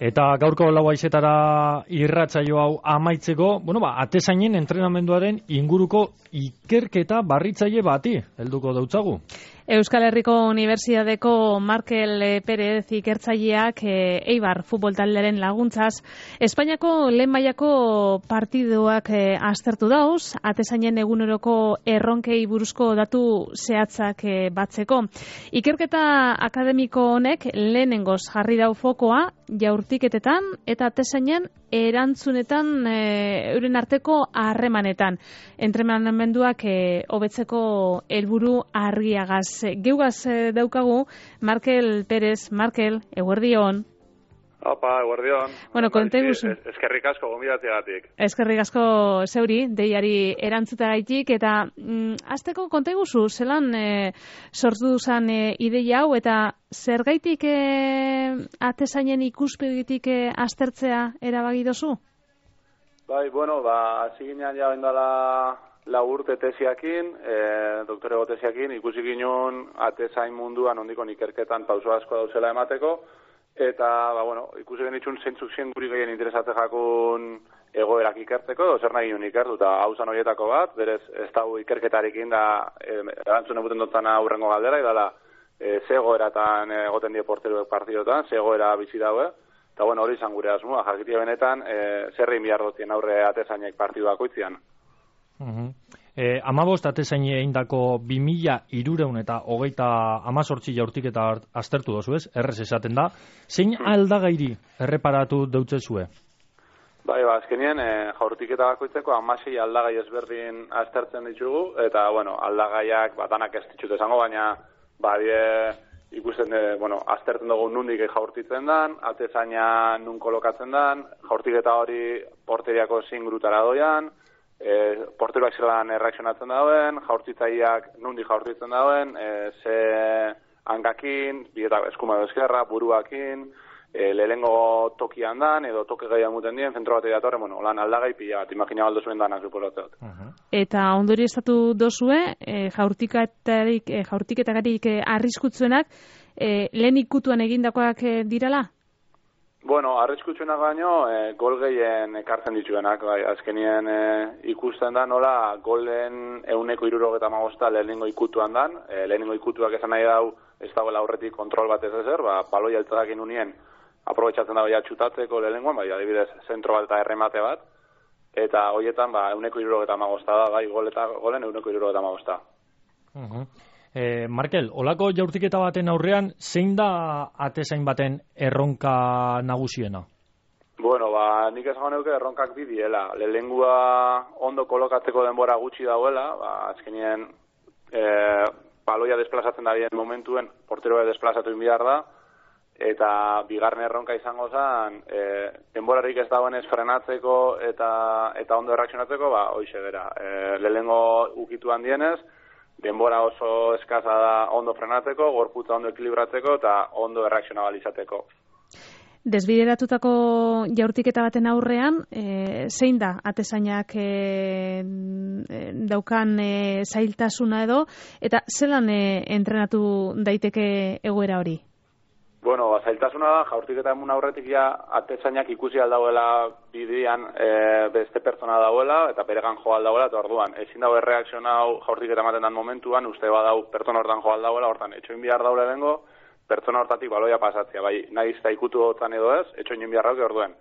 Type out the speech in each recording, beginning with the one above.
Eta gaurko 4:00 irratsaio hau amaitzeko, atezainen entrenamenduaren inguruko ikerketa barritzaile bati helduko dautzagu. Euskal Herriko Unibertsitateko Markel Perez ikertzaileak Eibar futbol taldearen laguntzaz Espainiako lehen mailako partiduak aztertu dauz, atezainen eguneroko erronkei buruzko datu zehatzak batzeko. Ikerketa akademiko honek lehenengoz jarri dau fokoa jaurtiketetan eta atezainen erantzunetan euren arteko harremanetan. Entrenamenduak hobetzeko helburu argiagaz. Geugaz daukagu Markel Perez. Markel, eguerdion. Opa, eguerdion. Bueno, konteguzu. Eskerrik asko gonbidatzeagatik. Eskerrik asko zeuri, deiari erantzutagaitik, eta hasteko konteguzu, zelan sortu duzan ideia hau, eta zergaitik atezainen ikuspegitik aztertzea erabaki dozu? Bai, hasi ginean ja bendala 4 urte tesiakin, doktorego tesiakin, ikusi ginen atezain munduan ondikon ikerketan pauso asko dauzela emateko, eta, ikusi genitxun zentzuk zien guri gehien interesatzen jakun egoerak ikertzeko, edo zer nahi ginen ikertu, eta hausan horietako bat, berez ez dago ikerketarekin da, erantzun egiten dutana aurrengo galdera, edala, ze egoeratan egoten die porteruek partidotan, ze egoera bizi daue, eta hori izan gure asmoa, jakitia benetan, zerrein bihar dutien aurre atezainek partiduak oitzian. 15 atezain eindako 2318 jaurtiketa aztertu dozu ez, errez esaten da. Zein aldagairi erreparatu deutzezue? Bai, azkenien jaurtiketa bakoitzeko 16 aldagai ezberdin aztertzen ditugu, eta, aldagaiak danak ez ditut esango, baina ikusten, aztertzen dugu nundik jaurtitzen dan, atezaina nun kolokatzen dan, jaurtiketa hori porteriako zein grutara doian, porteruak zelan erreakzionatzen dauen, jaurtitzaileak nundik jaurtitzen dauen, ze hangakin, bietak eskuma edo eskerra, buruakin, lehengo tokian dan, edo toke gaian muten dien, zentro bat edatorren, lan aldagai pila bat, imagina baldo zuen danak zupolotzat. Eta ondori estatu dozue, jaurtiketagarik arriskutzuenak, lehen ikutuan egindakoak dirala? Arriskutsuenak baino, gol gehien ekartzen dituenak, azkenien ikusten da, nola golen 175 lehenengo ikutuan dan, lehenengo ikutuak esan nahi dau, ez dagoela aurretik kontrol bat ez ezer, baloi altzadakin unien, aprobetxatzen dago txutatzeko lehenengoan, adibidez, zentro bat eta erremate bat, eta horietan, 175 da, golen 175. Markel, olako jaurtiketa baten aurrean, zein da atezain baten erronka nagusiena? Nik esango neuke erronkak bidiela. Lehengua ondo kolokatzeko denbora gutxi dauela, azkenien baloia desplazatzen da bien momentuen, porteroa desplazatu inbiar da, eta bigarren erronka izango zen, denborarik ez dagoenez frenatzeko eta ondo erreakzionatzeko, hoize bera. Lehengo ukituan dienez, denbora oso eskaza da ondo frenatzeko, gorputza ondo ekilibratzeko eta ondo erreakzionabalizateko. Desbideratutako jaurtiketa baten aurrean, zein da atezainak daukan zailtasuna edo, eta zelan entrenatu daiteke egoera hori? Zailtasuna da, jaurtiketa emun aurretik atezainak ikusi aldauela bidean beste pertsona dauela, eta beregan jo aldauela, eta orduan, ezin dago erreakzionau jaurtiketa ematen dan momentuan, uste badau pertsona hortan jo aldauela, hortan, etxoin bihar daule bengo, pertsona hortatik baloia pasatzea, nahiz eta ikutu dutan edo ez, etxoin bihar dauke orduen.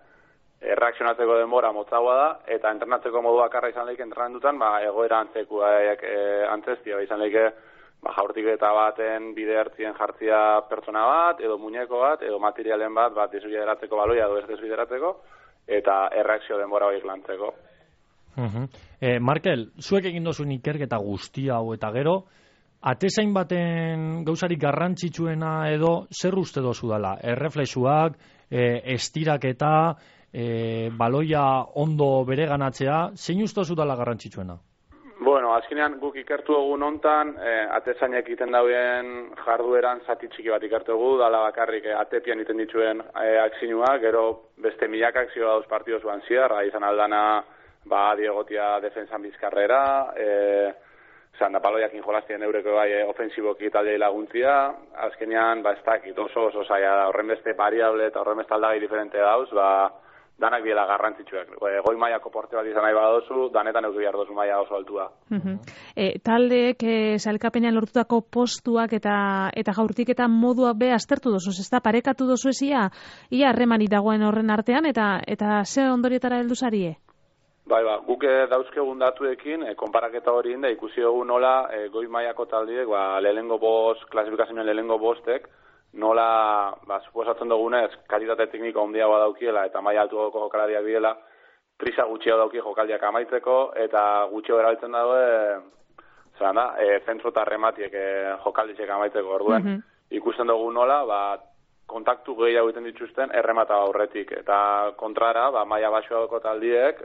Erreakzionatzeko denbora motzagoa da, eta entrenatzeko modu bakarra izan lehik entrenatutan, egoera antzestia, izan lehike, jaurtiketa baten bide hartzien jartzia pertsona bat, edo muñeko bat, edo materialen bat desbideratzeko baloia edo ez desbideratzeko, eta erreakzio denbora horiek lantzeko. Markel, zuek egin dozuen ikerketa guztia hau eta gero, atezain baten gauzarik garrantzitsuena edo zer uste dozu dela? Erreflexuak, estiraketa, baloia ondo bereganatzea, zein uste dozu dela garrantzitsuena? Azkenean guk ikertu egun hontan, atezainek egiten dauen jardueran zati txiki bat ikertu egu, dala bakarrik atepian egiten dituen akzinuak, gero beste milak akzio dauz partido zuan ziar, izan aldana, diegotia defensan bizkarrera, da paloiakin jolastien eureko bai ofensiboki taldei laguntzia, azkenean, ez dakit oso zaila da, horren beste variable eta horren beste aldagai diferente dauz, danak biela garrantzitsuak. Goi mailako porte bat izan nahi badozu, danetan euki behar dozu maila oso altua. Taldeek sailkapenean lortutako postuak eta jaurtiketa moduak be aztertu dozu, ez da, parekatu dozu ia harremanik dagoen horren artean, eta ze ondorietara heldu zarie? Bai, guk dauzkegun datuekin, konparaketa hori inda, ikusi dugu nola goi mailako taldiek, klasifikazioen lehenengo bostek, nola, suposatzen dugunez, kalitate tekniko handiagoa daukiela eta maila altuagoko jokalariak biela, prisa gutxio dauki jokaldiak amaitzeko eta gutxio erabiltzen dago, zentro eta rematiek jokaldizek amaitzeko orduen. Ikusten dugu nola, kontaktu gehiago egiten dituzten erremata aurretik eta kontrara, maila baxuagoko taldiek,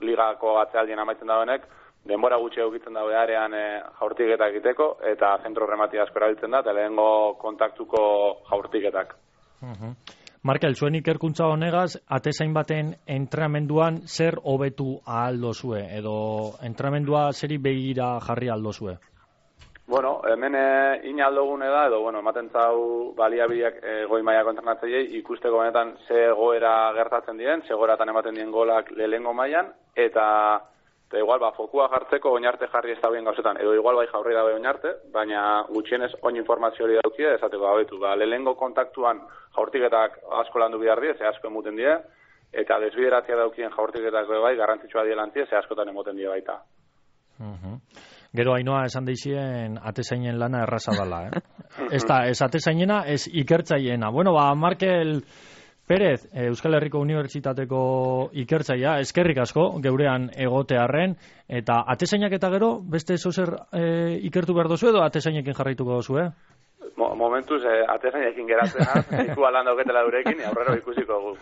ligako atzealdien amaitzen dauenek, denbora gutxi egiten dago arean jaurtiketak egiteko eta zentro remati asko erabiltzen da, eta lehengo kontaktuko jaurtiketak. Markel, zuen ikerkuntza honegaz, atezain baten entrenamenduan zer hobetu ahal dozue, edo entrenamendua zeri begira jarri ahal dozue? Bueno, hemen ina aldogune da, edo, ematen zau baliabideak goi mailako entrenatzaileei ikusteko benetan ze goera gertatzen diren, ze goeratan ematen dien golak lehengo mailan, eta igual, fokua jartzeko oinarte jarri ez da bien gauzetan, edo igual bai jaurri dabe oinarte, baina gutxienez oin informazio hori daukie, esateko abetu. Lehengo kontaktuan jaurtiketak asko landu bihar die, ze asko emuten die, eta desbideratzea daukien jaurtiketak bai, garrantzitsua dielantie, ze askotan emoten die baita. Gero Ainoa esan deixien atezainen lana erraza dela, ez atezainena, ez ikertzaiena. Markel Pérez, Euskal Herriko Unibertsitateko ikertzaia, eskerrik asko, geurean egotearren, eta atezainak eta gero, beste zozer ikertu behar dozu edo atezainekin jarraituko dozu, Momentuz, atezainekin geratzen iku alan dauketela durekin, aurrero ikusiko gu.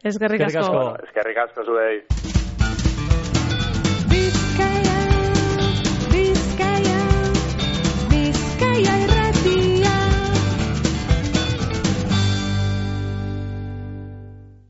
Eskerrik asko. Eskerrik asko zuei.